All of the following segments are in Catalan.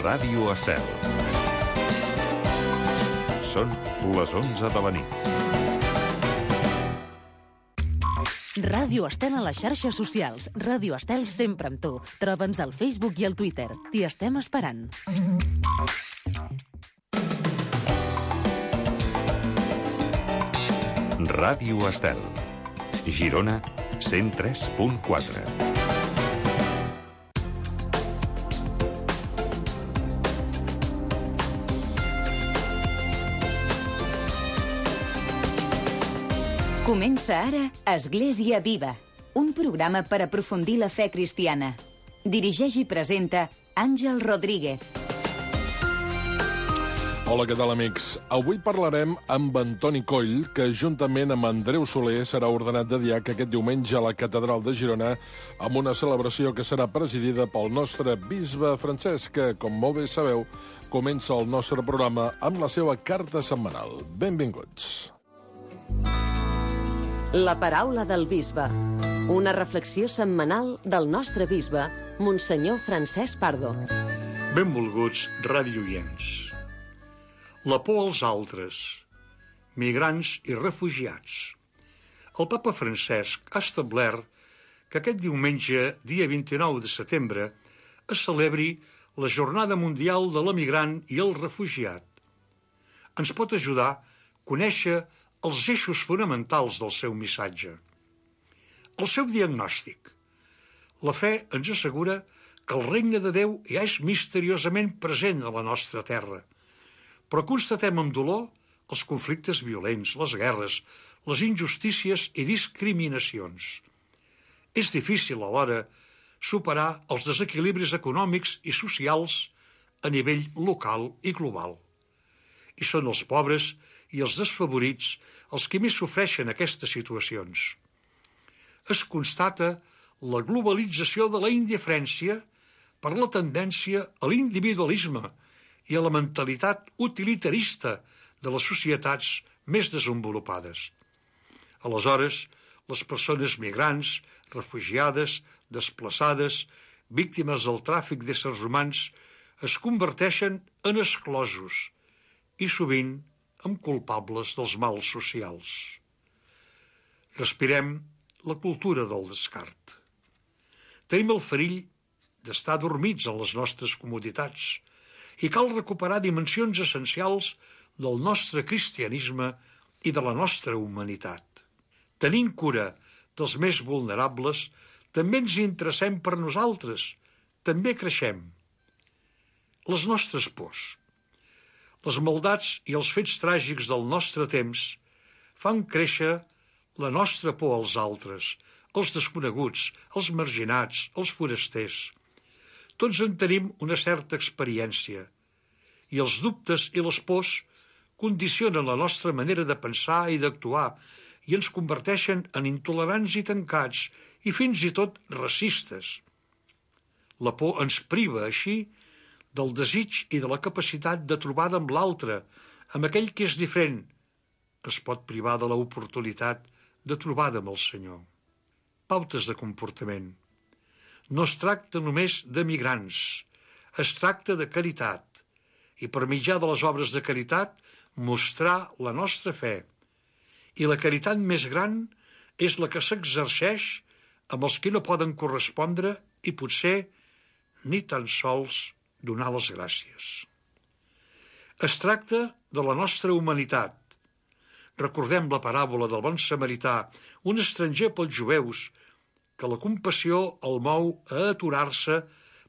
Ràdio Estel. Són les 11 de la nit. Ràdio Estel a les xarxes socials. Ràdio Estel sempre amb tu. Troba'ns al Facebook i al Twitter. T'hi estem esperant. Ràdio Estel. Girona 103.4. Comença ara Església Viva, un programa per aprofundir la fe cristiana. Dirigeix i presenta Àngel Rodríguez. Hola, què tal, amics? Avui parlarem amb Antoni Coll, que juntament amb Andreu Soler serà ordenat de diac aquest diumenge a la Catedral de Girona, amb una celebració que serà presidida pel nostre bisbe Francesc, que, com molt bé sabeu, comença el nostre programa amb la seva carta setmanal. Benvinguts. La paraula del bisbe. Una reflexió setmanal del nostre bisbe, Monsenyor Francesc Pardo. Benvolguts radioients. La por als altres, migrants i refugiats. El papa Francesc ha establert que aquest diumenge, dia 29 de setembre, es celebri la Jornada Mundial de l'Emigrant i el Refugiat. Ens pot ajudar a conèixer els eixos fonamentals del seu missatge. El seu diagnòstic. La fe ens assegura que el regne de Déu ja és misteriosament present a la nostra terra, però constatem amb dolor els conflictes violents, les guerres, les injustícies i discriminacions. És difícil alhora superar els desequilibris econòmics i socials a nivell local i global. I són els pobres i els desfavorits els que més sofreixen aquestes situacions. Es constata la globalització de la indiferència per la tendència a l'individualisme i a la mentalitat utilitarista de les societats més desenvolupades. Aleshores, les persones migrants, refugiades, desplaçades, víctimes del tràfic d'éssers humans, es converteixen en exclosos i sovint amb culpables dels mals socials. Respirem la cultura del descart. Tenim el perill d'estar dormits en les nostres comoditats i cal recuperar dimensions essencials del nostre cristianisme i de la nostra humanitat. Tenint cura dels més vulnerables, també ens interessem per nosaltres, també creixem. Les nostres pors. Les maldats i els fets tràgics del nostre temps fan créixer la nostra por als altres, els desconeguts, els marginats, els forasters. Tots en tenim una certa experiència, i els dubtes i les pors condicionen la nostra manera de pensar i d'actuar i ens converteixen en intolerants i tancats i fins i tot racistes. La por ens priva, així, del desig i de la capacitat de trobada amb l'altre, amb aquell que és diferent. Es pot privar de l'oportunitat de trobada amb el Senyor. Pautes de comportament. No es tracta només de migrants, es tracta de caritat, i per mitjà de les obres de caritat mostrar la nostra fe. I la caritat més gran és la que s'exerceix amb els que no poden correspondre i potser ni tan sols donar les gràcies. Es tracta de la nostra humanitat. Recordem la paràbola del bon samarità, un estranger pels jueus, que la compassió el mou a aturar-se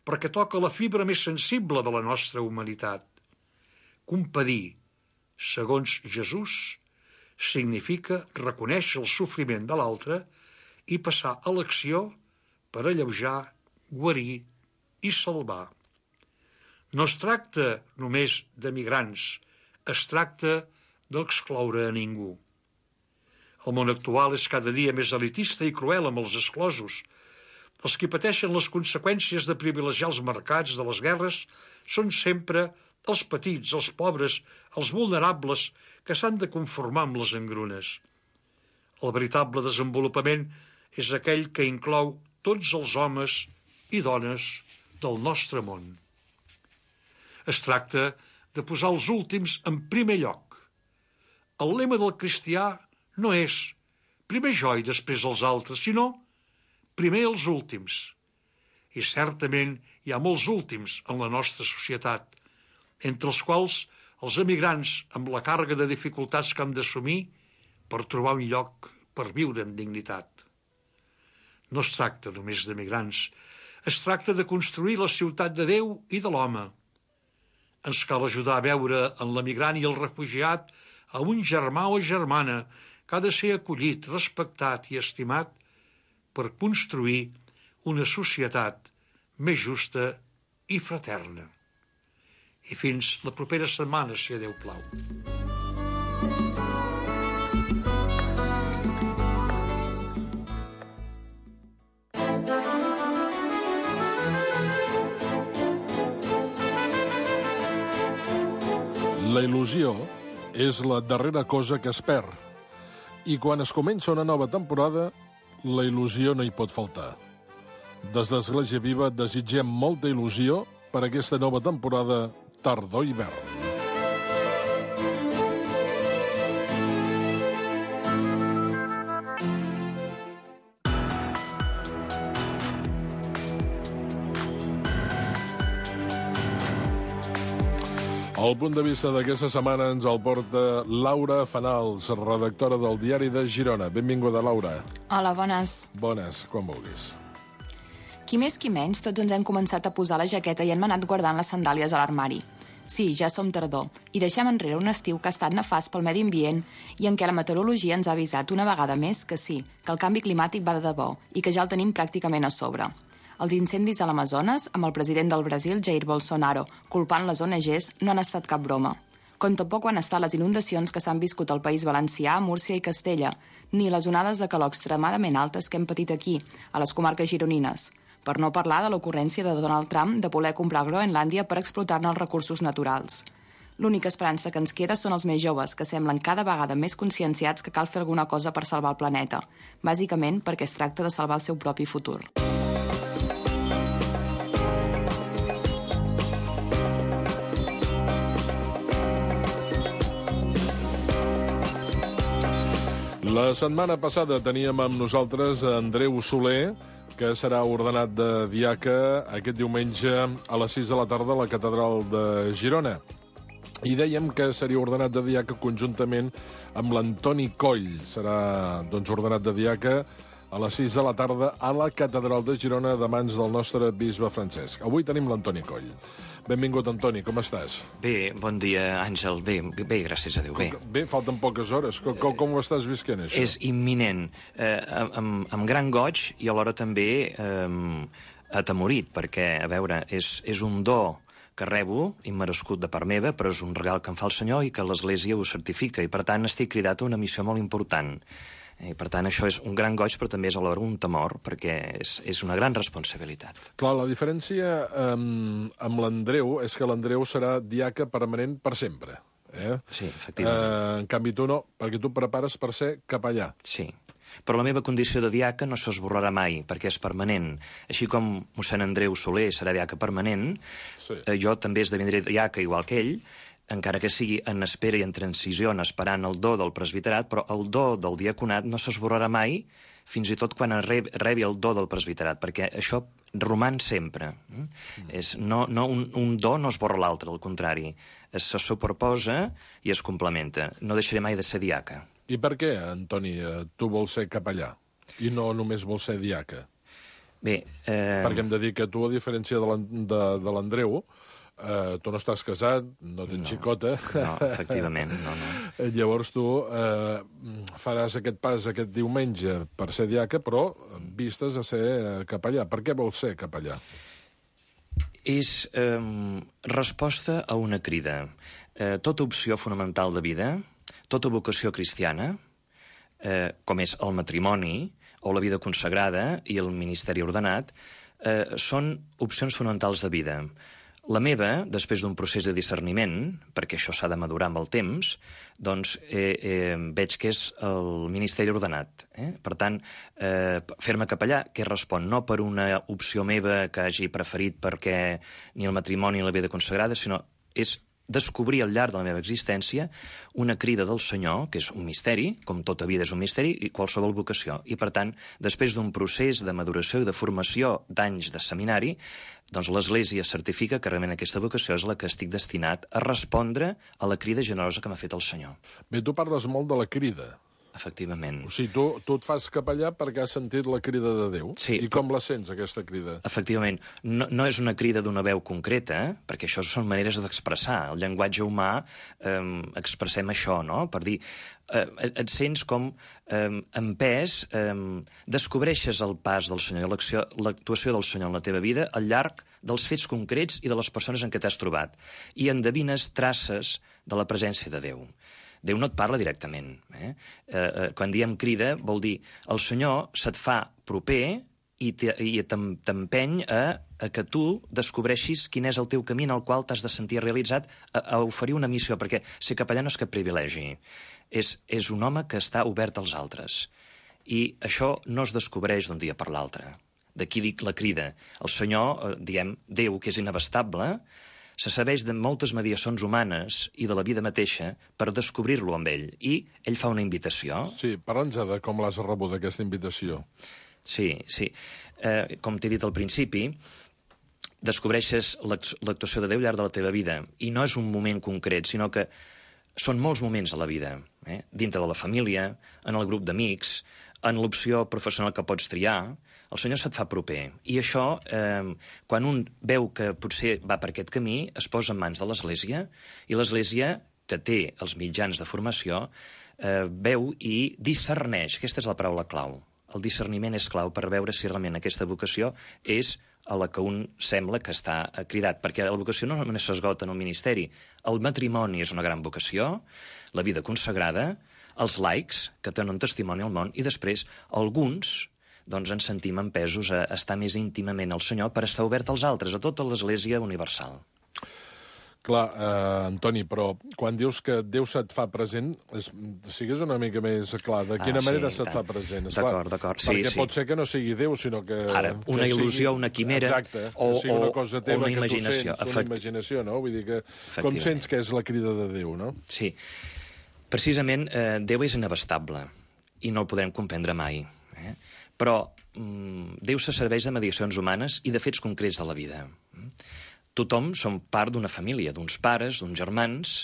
perquè toca la fibra més sensible de la nostra humanitat. Compadir, segons Jesús, significa reconèixer el sofriment de l'altre i passar a l'acció per alleujar, guarir i salvar. No es tracta només de migrants, es tracta d'excloure a ningú. El món actual és cada dia més elitista i cruel amb els exclosos. Els que pateixen les conseqüències de privilegiar els mercats de les guerres són sempre els petits, els pobres, els vulnerables que s'han de conformar amb les engrunes. El veritable desenvolupament és aquell que inclou tots els homes i dones del nostre món. Es tracta de posar els últims en primer lloc. El lema del cristià no és primer jo i després els altres, sinó primer els últims. I certament hi ha molts últims en la nostra societat, entre els quals els emigrants amb la càrrega de dificultats que han d'assumir per trobar un lloc per viure amb dignitat. No es tracta només d'emigrants, es tracta de construir la ciutat de Déu i de l'home. Ens cal ajudar a veure en l'emigrant i el refugiat a un germà o germana que ha de ser acollit, respectat i estimat per construir una societat més justa i fraterna. I fins la propera setmana, si a Déu plau. La il·lusió és la darrera cosa que es perd. I quan es comença una nova temporada, la il·lusió no hi pot faltar. Des d'Església Viva desitgem molta il·lusió per aquesta nova temporada tardor-hivern. El punt de vista d'aquesta setmana ens el porta Laura Fanals, redactora del Diari de Girona. Benvinguda, Laura. Hola, bones. Bones, quan vulguis. Qui més qui menys, tots ens hem començat a posar la jaqueta i hem anat guardant les sandàlies a l'armari. Sí, ja som tardor, i deixem enrere un estiu que ha estat nefast pel medi ambient i en què la meteorologia ens ha avisat una vegada més que sí, que el canvi climàtic va de debò i que ja el tenim pràcticament a sobre. Els incendis a l'Amazones, amb el president del Brasil, Jair Bolsonaro, culpant les ONGs, no han estat cap broma. Com tampoc han estat les inundacions que s'han viscut al País Valencià, Múrcia i Castella, ni les onades de calor extremadament altes que hem patit aquí, a les comarques gironines. Per no parlar de l'ocurrència de Donald Trump de voler comprar Groenlàndia per explotar-ne els recursos naturals. L'única esperança que ens queda són els més joves, que semblen cada vegada més conscienciats que cal fer alguna cosa per salvar el planeta, bàsicament perquè es tracta de salvar el seu propi futur. La setmana passada teníem amb nosaltres Andreu Soler, que serà ordenat de diaca aquest diumenge a les 6 de la tarda a la Catedral de Girona. I dèiem que seria ordenat de diaca conjuntament amb l'Antoni Coll. Serà ordenat de diaca a les 6 de la tarda a la Catedral de Girona de mans del nostre bisbe Francesc. Avui tenim l'Antoni Coll. Benvingut, Antoni, com estàs? Bé, bon dia, Àngel. Bé, gràcies a Déu, bé. Bé, falten poques hores. Com ho estàs visquent, això? És imminent, amb gran goig i alhora també atemorit, perquè, a veure, és un do que rebo, immerescut de part meva, però és un regal que em fa el Senyor i que l'Església ho certifica, i per tant estic cridat a una missió molt important. I, per tant, això és un gran goig, però també és alhora un temor, perquè és una gran responsabilitat. Clar, la diferència amb l'Andreu és que l'Andreu serà diaca permanent per sempre. Sí, efectivament. En canvi, tu no, perquè tu prepares per ser capellà. Sí, però la meva condició de diaca no s'esborrarà mai, perquè és permanent. Així com mossèn Andreu Soler serà diaca permanent, sí. Jo també esdevindré diaca igual que ell, encara que sigui en espera i en transició, esperant el do del presbiterat, però el do del diaconat no s'esborrarà mai, fins i tot quan rebi el do del presbiterat, perquè això roman sempre. Un do no esborra l'altre, al contrari. Se superposa i es complementa. No deixaré mai de ser diaca. I per què, Antoni, tu vols ser capellà i no només vols ser diaca? Bé... Perquè hem de dir que tu, a diferència de l'Andreu, tu no estàs casat, no tens xicota. No, efectivament, no. Llavors tu faràs aquest pas aquest diumenge per ser diaca, però vistes a ser capellà. Per què vols ser capellà? És resposta a una crida. Tota opció fonamental de vida, tota vocació cristiana, com és el matrimoni o la vida consagrada i el ministeri ordenat, són opcions fonamentals de vida. La meva, després d'un procés de discerniment, perquè això s'ha de madurar amb el temps, doncs veig que és el ministeri ordenat. Per tant, fer-me capellà, que respon no per una opció meva que hagi preferit perquè ni el matrimoni ni la vida consagrada, sinó és descobrir al llarg de la meva existència una crida del Senyor, que és un misteri, com tota vida és un misteri, i qualsevol vocació. I, per tant, després d'un procés de maduració i de formació d'anys de seminari, doncs l'Església certifica que realment aquesta vocació és la que estic destinat a respondre a la crida generosa que m'ha fet el Senyor. Bé, tu parles molt de la crida. Efectivament. O sigui, tu et fas capellà perquè has sentit la crida de Déu. Sí. I com la sents, aquesta crida? Efectivament. No és una crida d'una veu concreta, perquè això són maneres d'expressar. El llenguatge humà expressem això, no? Per dir, et sents com empès, descobreixes el pas del Senyor, l'actuació del Senyor en la teva vida al llarg dels fets concrets i de les persones en què t'has trobat. I endevines traces de la presència de Déu. Déu no et parla directament. Quan diem crida, vol dir el Senyor se't fa proper i t'empeny a que tu descobreixis quin és el teu camí en el qual t'has de sentir realitzat a oferir una missió, perquè ser capellà no és cap privilegi. És un home que està obert als altres. I això no es descobreix d'un dia per l'altre. D'aquí dic la crida. El Senyor, diem, Déu, que és inabastable, se serveix de moltes mediacions humanes i de la vida mateixa per descobrir-lo amb ell. I ell fa una invitació. Sí, parla'ns de com l'has rebut, aquesta invitació. Sí. Com t'he dit al principi, descobreixes l'actuació de Déu al llarg de la teva vida. I no és un moment concret, sinó que són molts moments a la vida. Dintre de la família, en el grup d'amics, en l'opció professional que pots triar. El Senyor se't fa proper. I això, quan un veu que potser va per aquest camí, es posa en mans de l'Església, i l'Església, que té els mitjans de formació, veu i discerneix. Aquesta és la paraula clau. El discerniment és clau per veure si realment aquesta vocació és a la que un sembla que està cridat, perquè la vocació no només s'esgota en el ministeri. El matrimoni és una gran vocació, la vida consagrada, els laics, que tenen un testimoni al món, i després alguns doncs ens sentim empesos a estar més íntimament al Senyor per estar obert als altres, a tota l'Església universal. Clar, Antoni, però quan dius que Déu se't fa present, sigues una mica més clar. De quina manera se't fa present? D'acord, sí. Perquè pot ser que no sigui Déu, sinó que... Ara, una il·lusió, una quimera, exacte, o una cosa teva, una imaginació. Que tu sents, una imaginació, no? Vull dir que com sents que és la crida de Déu, no? Sí. Precisament, Déu és inabastable i no el podrem comprendre mai. Però Déu se serveix de mediacions humanes i de fets concrets de la vida. Tothom som part d'una família, d'uns pares, d'uns germans,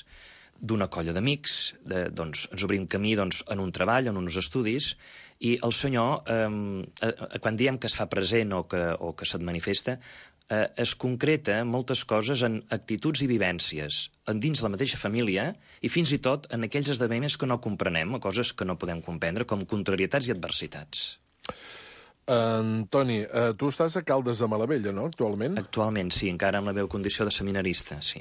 d'una colla d'amics, ens obrim camí en un treball, en uns estudis, i el Senyor, quan diem que es fa present o que se't manifesta, es concreta moltes coses en actituds i vivències dins la mateixa família i fins i tot en aquells esdeveniments que no comprenem, o coses que no podem comprendre, com contrarietats i adversitats. Antoni, tu estàs a Caldes de Malavella, no, actualment? Actualment, sí, encara en la meva condició de seminarista, sí.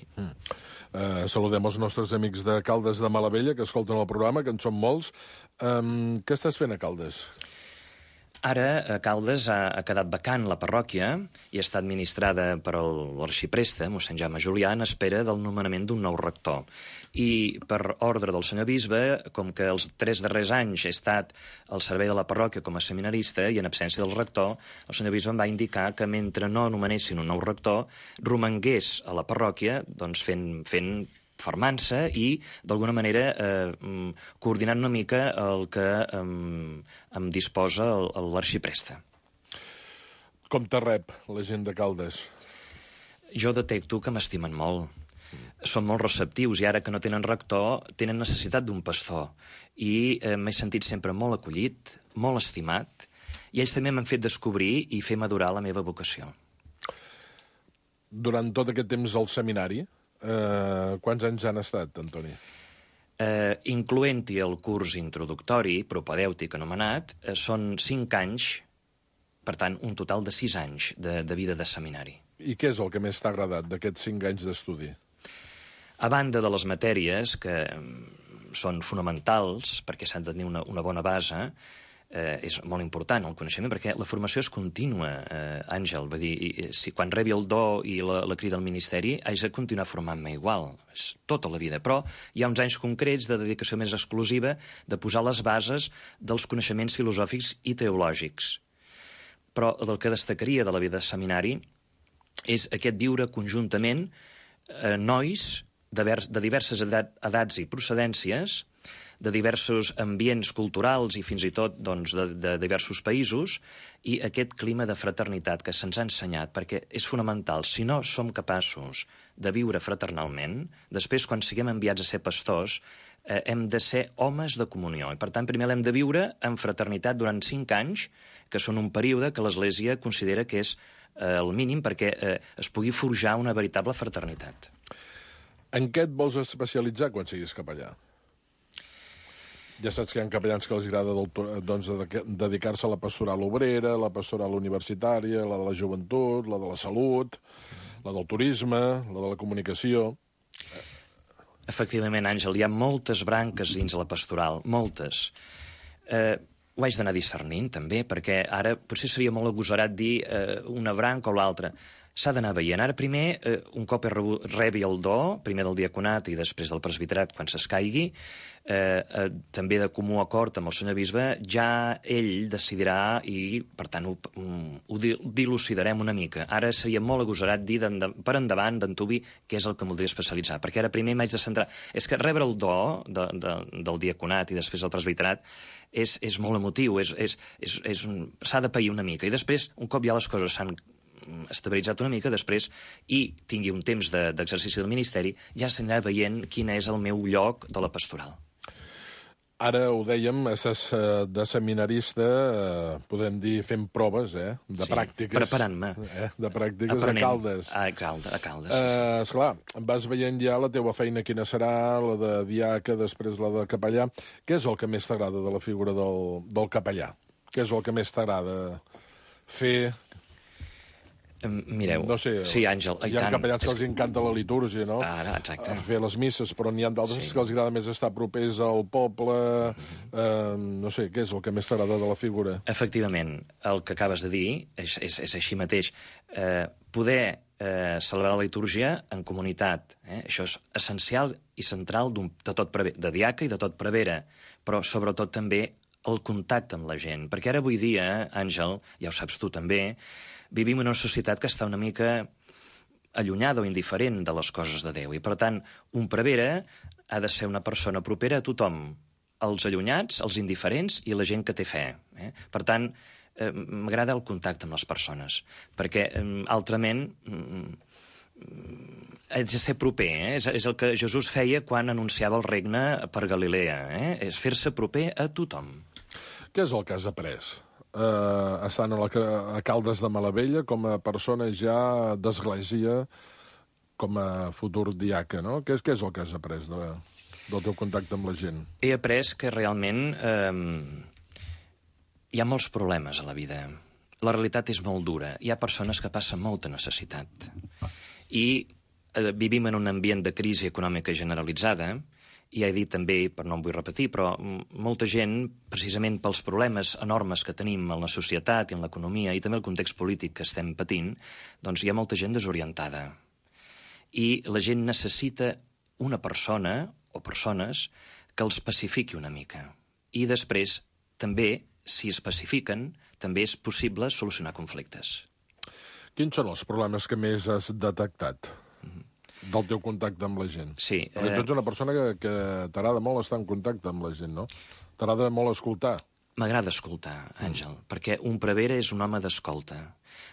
Saludem els nostres amics de Caldes de Malavella, que escolten el programa, que en són molts. Què estàs fent a Caldes? Ara, a Caldes ha quedat vacant la parròquia i està administrada per l'arxipreste, mossèn Jaume Julià, en espera del nomenament d'un nou rector. I per ordre del senyor bisbe, com que els 3 darrers anys he estat al servei de la parròquia com a seminarista i en absència del rector, el senyor bisbe em va indicar que mentre no nomenessin un nou rector, romangués a la parròquia doncs, fent formant-se i, d'alguna manera, coordinant una mica el que em disposa l'arxipreste. Com te rep la gent de Caldes? Jo detecto que m'estimen molt. Són molt receptius i ara que no tenen rector tenen necessitat d'un pastor. I m'he sentit sempre molt acollit, molt estimat, i ells també m'han fet descobrir i fer madurar la meva vocació. Durant tot aquest temps al seminari, quants anys han estat, Antoni? Incloent-hi el curs introductori, propedèutic anomenat, són 5 anys, per tant, un total de 6 anys de vida de seminari. I què és el que més t'ha agradat d'aquests 5 anys d'estudi? A banda de les matèries, que són fonamentals, perquè s'han de tenir una bona base, és molt important el coneixement, perquè la formació és contínua, Àngel. Vull dir, si quan rebi el do i la crida al ministeri, haig de continuar formant-me igual. És tota la vida. Però hi ha uns anys concrets de dedicació més exclusiva de posar les bases dels coneixements filosòfics i teològics. Però el que destacaria de la vida de seminari és aquest viure conjuntament nois de diverses edats i procedències, de diversos ambients culturals i fins i tot de diversos països, i aquest clima de fraternitat que se'ns ha ensenyat, perquè és fonamental. Si no som capaços de viure fraternalment, després, quan siguem enviats a ser pastors, hem de ser homes de comunió. I, per tant, primer l'hem de viure en fraternitat durant 5 anys, que són un període que l'Església considera que és el mínim perquè es pugui forjar una veritable fraternitat. En què et vols especialitzar quan siguis capellà? Ja saps que hi ha capellans que els agrada dedicar-se a la pastoral obrera, la pastoral universitària, la de la joventut, la de la salut, la del turisme, la de la comunicació. Efectivament, Àngel, hi ha moltes branques dins la pastoral, moltes. Ho haig d'anar discernint, també, perquè ara potser seria molt agosarat dir una branca o l'altra. S'ha d'anar veient. Ara, primer, un cop rebi el do, primer del diaconat i després del presbiterat, quan s'escaigui, també de comú acord amb el senyor bisbe, ja ell decidirà i, per tant, ho dilucidarem una mica. Ara seria molt agosarat dir per endavant, d'antuvi, què és el que em voldria especialitzar, perquè ara primer m'haig de centrar. És que rebre el do del diaconat i després del presbiterat és molt emotiu, s'ha de pair una mica. I després, un cop ja les coses s'han estabilitzat una mica, després, i tingui un temps d'exercici del ministeri, ja s'anirà veient quin és el meu lloc de la pastoral. Ara ho dèiem, estàs de seminarista, podem dir, fent proves, de pràctiques. Preparant-me. De pràctiques a Caldes. A Caldes. Esclar, vas veient ja la teua feina quina serà, la de diaca, després la de capellà. Què és el que més t'agrada de la figura del capellà? Què és el que més t'agrada fer? Mireu, no sé, sí, Àngel, hi ha capellans que els encanta la litúrgia, no? Ara, exacte. Fer les misses, però n'hi ha d'altres que els agrada més estar propers al poble. No sé, què és el que més t'agrada de la figura? Efectivament, el que acabes de dir és així mateix. Poder celebrar la litúrgia en comunitat, això és essencial i central de tot prevere, de diaca i de tot prevere, però sobretot també el contacte amb la gent. Perquè ara avui dia, Àngel, ja ho saps tu també, vivim en una societat que està una mica allunyada o indiferent de les coses de Déu. I, per tant, un prevere ha de ser una persona propera a tothom, els allunyats, els indiferents i la gent que té fe. Per tant, m'agrada el contacte amb les persones, perquè altrament haig de ser proper. És el que Jesús feia quan anunciava el regne per Galilea. És fer-se proper a tothom. Què és el que has après? Estant a Caldes de Malavella com a persona ja d'església, com a futur diaca, no? Què és el que has après del teu contacte amb la gent? He après que realment hi ha molts problemes a la vida. La realitat és molt dura. Hi ha persones que passen molta necessitat. I vivim en un ambient de crisi econòmica generalitzada. I he dit també, però no em vull repetir, però molta gent, precisament pels problemes enormes que tenim en la societat i en l'economia i també el context polític que estem patint, doncs hi ha molta gent desorientada. I la gent necessita una persona o persones que els pacifiqui una mica. I després, també, si es pacifiquen, també és possible solucionar conflictes. Quins són els problemes que més has detectat del teu contacte amb la gent? Sí. Tu ets una persona que t'agrada molt estar en contacte amb la gent, no? T'agrada molt escoltar. M'agrada escoltar, Àngel, perquè un prevere és un home d'escolta.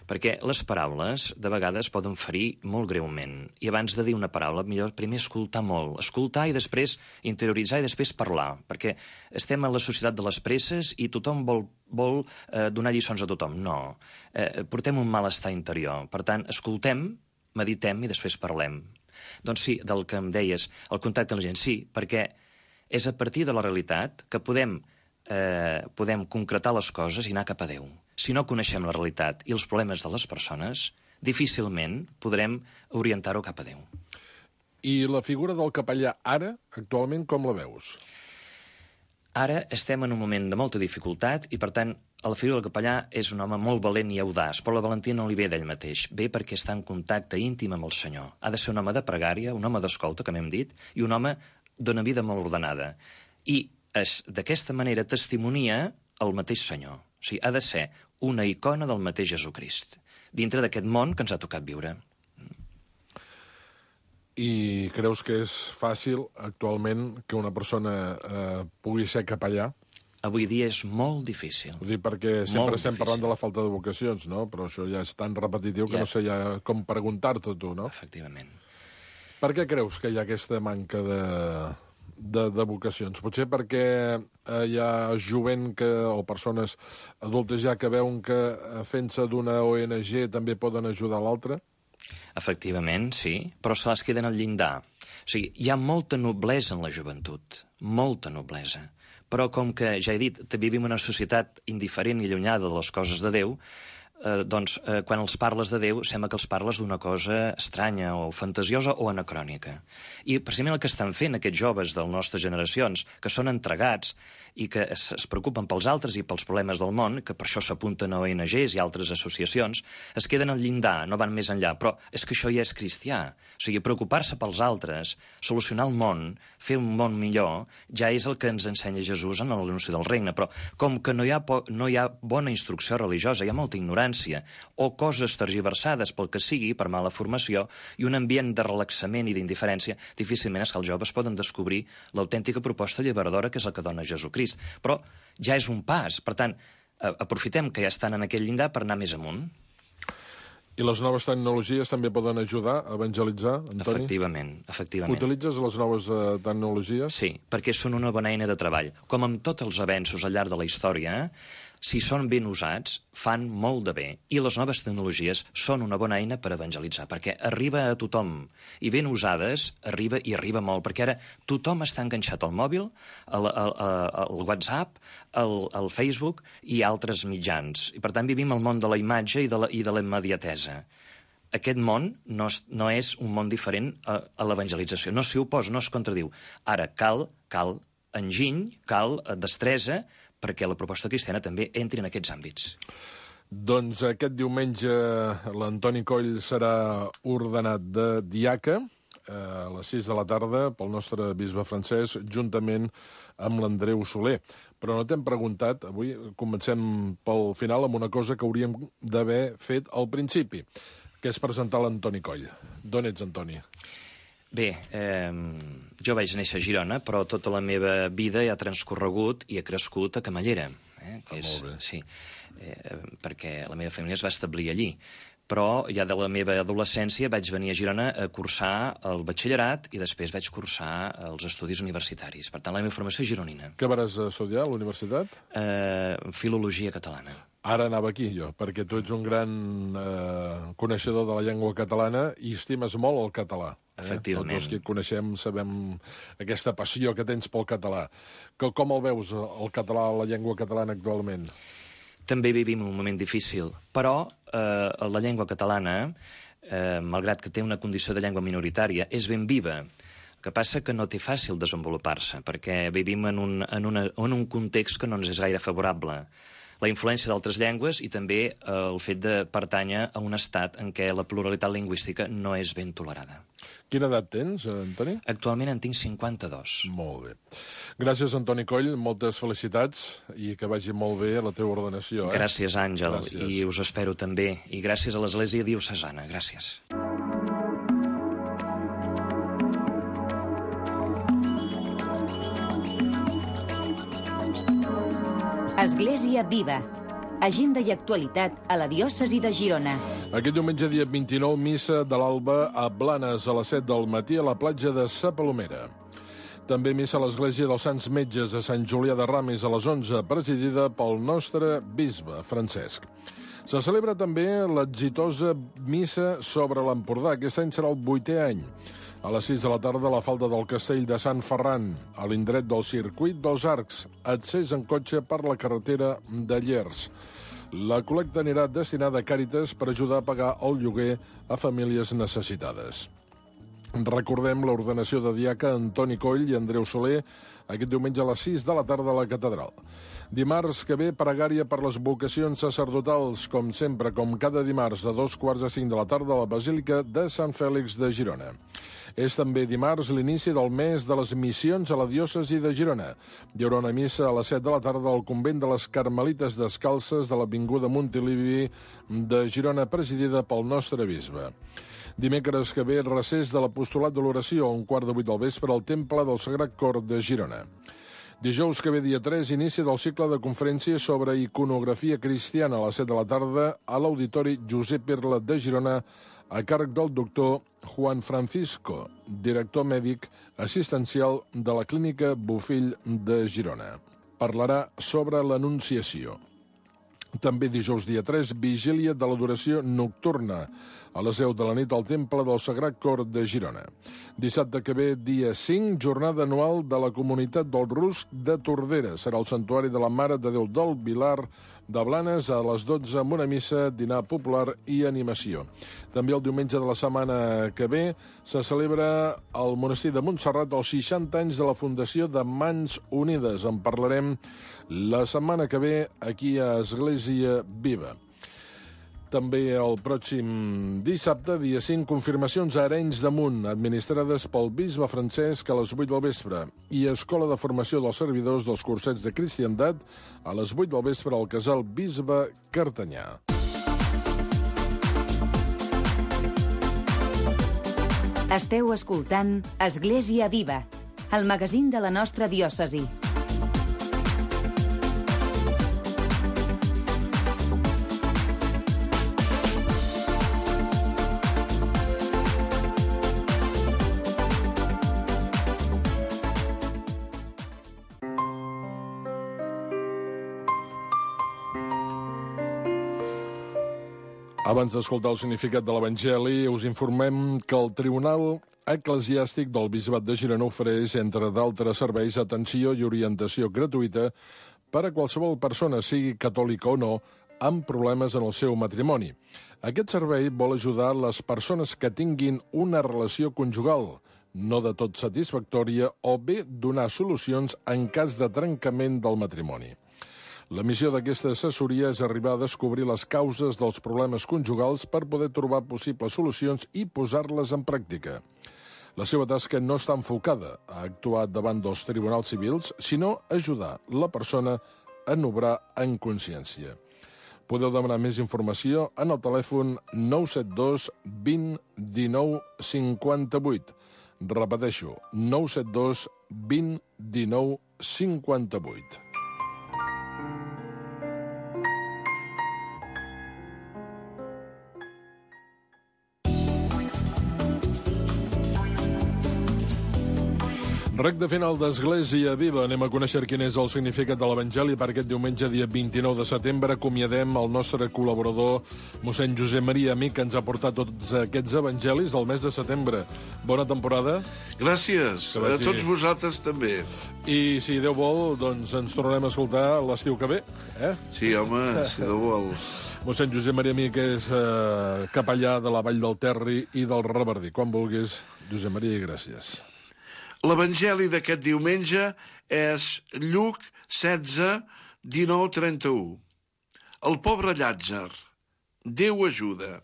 Perquè les paraules, de vegades, poden ferir molt greument. I abans de dir una paraula, millor primer escoltar molt. Escoltar i després interioritzar i després parlar. Perquè estem en la societat de les presses i tothom vol donar lliçons a tothom. No. Portem un malestar interior. Per tant, escoltem, meditem i després parlem. Doncs sí, del que em deies, el contacte amb la gent, sí, perquè és a partir de la realitat que podem concretar les coses i anar cap a Déu. Si no coneixem la realitat i els problemes de les persones, difícilment podrem orientar-ho cap a Déu. I la figura del capellà ara, actualment, com la veus? Ara estem en un moment de molta dificultat i, per tant, la figura del capellà és un home molt valent i audaç, però la valentia no li ve d'ell mateix. Ve perquè està en contacte íntim amb el Senyor. Ha de ser un home de pregària, un home d'escolta, com hem dit, i un home d'una vida molt ordenada. I d'aquesta manera testimonia el mateix Senyor. O sigui, ha de ser una icona del mateix Jesucrist, dintre d'aquest món que ens ha tocat viure. I creus que és fàcil, actualment, que una persona pugui ser capellà? Avui dia és molt difícil. Ho dic perquè sempre estem parlant de la falta de vocacions, no? Però això ja és tan repetitiu que no sé ja com preguntar-te tu, no? Efectivament. Per què creus que hi ha aquesta manca de vocacions? Potser perquè hi ha jovent o persones adultes ja que veuen que fent-se d'una ONG també poden ajudar l'altre? Efectivament, sí, però se les queden al llindar. O sigui, hi ha molta noblesa en la joventut, molta noblesa. Però com que, ja he dit, vivim en una societat indiferent i allunyada de les coses de Déu, quan els parles de Déu sembla que els parles d'una cosa estranya o fantasiosa o anacrònica. I precisament el que estan fent aquests joves de les nostres generacions, que són entregats i que es preocupen pels altres i pels problemes del món, que per això s'apunten a ONGs i altres associacions, es queden al llindar, no van més enllà. Però és que això ja és cristià. O sigui, preocupar-se pels altres, solucionar el món, fer un món millor, ja és el que ens ensenya Jesús en l'anunci del regne. Però com que no hi ha bona instrucció religiosa, hi ha molta ignorància, o coses tergiversades pel que sigui, per mala formació, i un ambient de relaxament i d'indiferència, difícilment és que els joves poden descobrir l'autèntica proposta alliberadora que és la que dona Jesucrist. Però ja és un pas. Per tant, aprofitem que ja estan en aquell llindar per anar més amunt. I les noves tecnologies també poden ajudar a evangelitzar, Antoni? Efectivament. Utilitzes les noves tecnologies? Sí, perquè són una bona eina de treball. Com amb tots els avenços al llarg de la història, si són ben usats, fan molt de bé. I les noves tecnologies són una bona eina per evangelitzar, perquè arriba a tothom. I ben usades, arriba molt, perquè ara tothom està enganxat al mòbil, al WhatsApp, al Facebook i altres mitjans. I per tant vivim el món de la imatge i de la immediatesa. Aquest món no és un món diferent a l'evangelització. No s'hi oposa, no es contradiu. Ara, cal enginy, cal destresa, perquè la proposta cristiana també entri en aquests àmbits. Doncs aquest diumenge l'Antoni Coll serà ordenat de diaca a les 6 de la tarda pel nostre bisbe francès, juntament amb l'Andreu Soler. Però no t'hem preguntat, avui comencem pel final amb una cosa que hauríem d'haver fet al principi, que és presentar l'Antoni Coll. D'on ets, Antoni? Bé, jo vaig néixer a Girona, però tota la meva vida ha transcorregut i he crescut a Camallera. Molt bé. Sí, perquè la meva família es va establir allí. Però ja de la meva adolescència vaig venir a Girona a cursar el batxillerat i després vaig cursar els estudis universitaris. Per tant, la meva formació és gironina. Què vas estudiar a la universitat? Filologia catalana. Ara anava aquí, jo, perquè tu ets un gran coneixedor de la llengua catalana i estimes molt el català. Efectivament. Tots els que et coneixem sabem aquesta passió que tens pel català. Com el veus, el català, la llengua catalana actualment? També vivim un moment difícil, però la llengua catalana, malgrat que té una condició de llengua minoritària, és ben viva. El que passa que no té fàcil desenvolupar-se, perquè vivim en un context que no ens és gaire favorable. La influència d'altres llengües i també el fet de pertànyer a un estat en què la pluralitat lingüística no és ben tolerada. Quina edat tens, Antoni? Actualment en tinc 52. Molt bé. Gràcies, Antoni Coll, moltes felicitats i que vagi molt bé la teva ordenació. Gràcies, Àngel, Gràcies. I us espero també. I gràcies a l'Església Diocesana. Gràcies. Església Viva. Agenda i actualitat a la diòcesi de Girona. Aquest diumenge, dia 29, missa de l'alba a Blanes a les 7 del matí a la platja de Sa Palomera. També missa a l'Església dels Sants Metges a Sant Julià de Ramis a les 11, presidida pel nostre bisbe, Francesc. Se celebra també l'exitosa missa sobre l'Empordà. Aquest any serà el 8è any. A les 6 de la tarda, a la falda del castell de Sant Ferran, a l'indret del circuit dels Arcs, accés en cotxe per la carretera de Llers. La col·lecta anirà destinada a Càritas per ajudar a pagar el lloguer a famílies necessitades. Recordem l'ordenació de diaca Antoni Coll i Andreu Soler aquest diumenge a les 6 de la tarda a la catedral. Dimarts que ve, pregària per les vocacions sacerdotals, com sempre, com cada dimarts a 2:45 de la tarda a la Basílica de Sant Fèlix de Girona. És també dimarts l'inici del mes de les missions a la diòcesi de Girona. Hi haurà una missa a les 7 de la tarda al convent de les Carmelites Descalces de l'avinguda Montilivi de Girona, presidida pel nostre bisbe. Dimecres que ve, recés de l'apostolat de l'oració, a 7:15 del vespre, al Temple del Sagrat Cor de Girona. Dijous que ve, dia 3, inici del cicle de conferències sobre iconografia cristiana a les 7 de la tarda a l'Auditori Josep Irla de Girona, a càrrec del doctor Juan Francisco, director mèdic assistencial de la Clínica Bofill de Girona. Parlarà sobre l'Anunciació. També dijous dia 3, vigília de l'adoració nocturna a les 10 de la nit al Temple del Sagrat Cor de Girona. Dissabte que ve, dia 5, jornada anual de la comunitat del Rusc de Tordera. Serà el Santuari de la Mare de Déu del Vilar de Blanes a les 12 amb una missa, dinar popular i animació. També el diumenge de la setmana que ve se celebra al monestir de Montserrat els 60 anys de la fundació de Mans Unides. En parlarem la setmana que ve aquí a Església Viva. També el pròxim dissabte, dia 5, confirmacions a Arenys de Munt, administrades pel bisbe Francesc a les 8 del vespre, i Escola de Formació dels Servidors dels Cursets de Cristiandat a les 8 del vespre al Casal Bisbe Cartanyà. Esteu escoltant Església Viva, el magazín de la nostra diòcesi. Abans d'escoltar el significat de l'Evangeli, us informem que el Tribunal Eclesiàstic del Bisbat de Girona ofereix, entre d'altres serveis, atenció i orientació gratuïta per a qualsevol persona, sigui catòlica o no, amb problemes en el seu matrimoni. Aquest servei vol ajudar les persones que tinguin una relació conjugal, no de tot satisfactòria, o bé donar solucions en cas de trencament del matrimoni. La missió d'aquesta assessoria és arribar a descobrir les causes dels problemes conjugals per poder trobar possibles solucions i posar-les en pràctica. La seva tasca no està enfocada a actuar davant dels tribunals civils, sinó a ajudar la persona a obrar en consciència. Podeu demanar més informació en el telèfon 972 20 19 58. Repeteixo, 972 20 19 58. Recte final d'Església Viva. Anem a conèixer quin és el significat de l'Evangeli per aquest diumenge, dia 29 de setembre. Acomiadem el nostre col·laborador, mossèn Josep Maria Amic, que ens ha portat tots aquests evangelis del mes de setembre. Bona temporada. Gràcies. A tots vosaltres també. I si Déu vol, doncs ens tornarem a escoltar l'estiu que ve. Sí, home, si Déu vol. Mossèn Josep Maria Amic és capellà de la Vall del Terri i del Revardí. Quan vulguis, Josep Maria, gràcies. L'Evangeli d'aquest diumenge és Lluc 16, 19, 31. El pobre Llàtzer. Déu ajuda.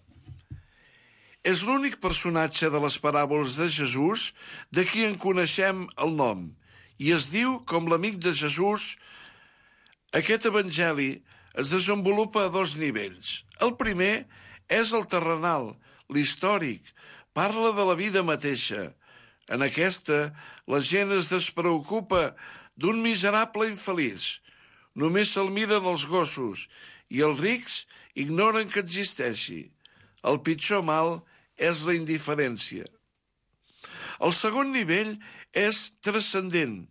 És l'únic personatge de les paràboles de Jesús de qui en coneixem el nom, i es diu com l'amic de Jesús. Aquest Evangeli es desenvolupa a dos nivells. El primer és el terrenal, l'històric, parla de la vida mateixa. En aquesta, la gent es despreocupa d'un miserable infeliç. Només se'l miren els gossos i els rics ignoren que existeixi. El pitjor mal és la indiferència. El segon nivell és transcendent.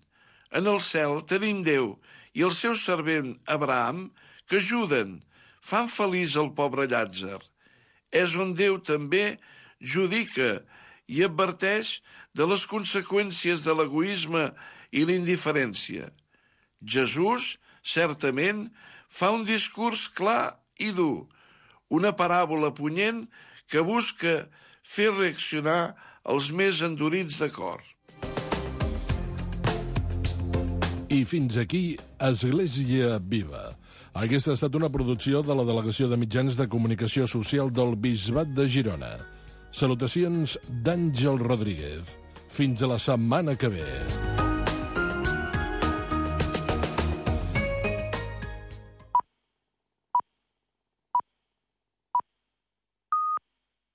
En el cel tenim Déu i el seu servent Abraham que ajuden, fan feliç el pobre Llàtzer. És on Déu també judica i adverteix de les conseqüències de l'egoisme i l'indiferència. Jesús, certament, fa un discurs clar i dur, una paràbola punyent que busca fer reaccionar els més endurits de cor. I fins aquí, Església Viva. Aquesta ha estat una producció de la Delegació de Mitjans de Comunicació Social del Bisbat de Girona. Salutacions d'Àngel Rodríguez. Fins a la setmana que ve.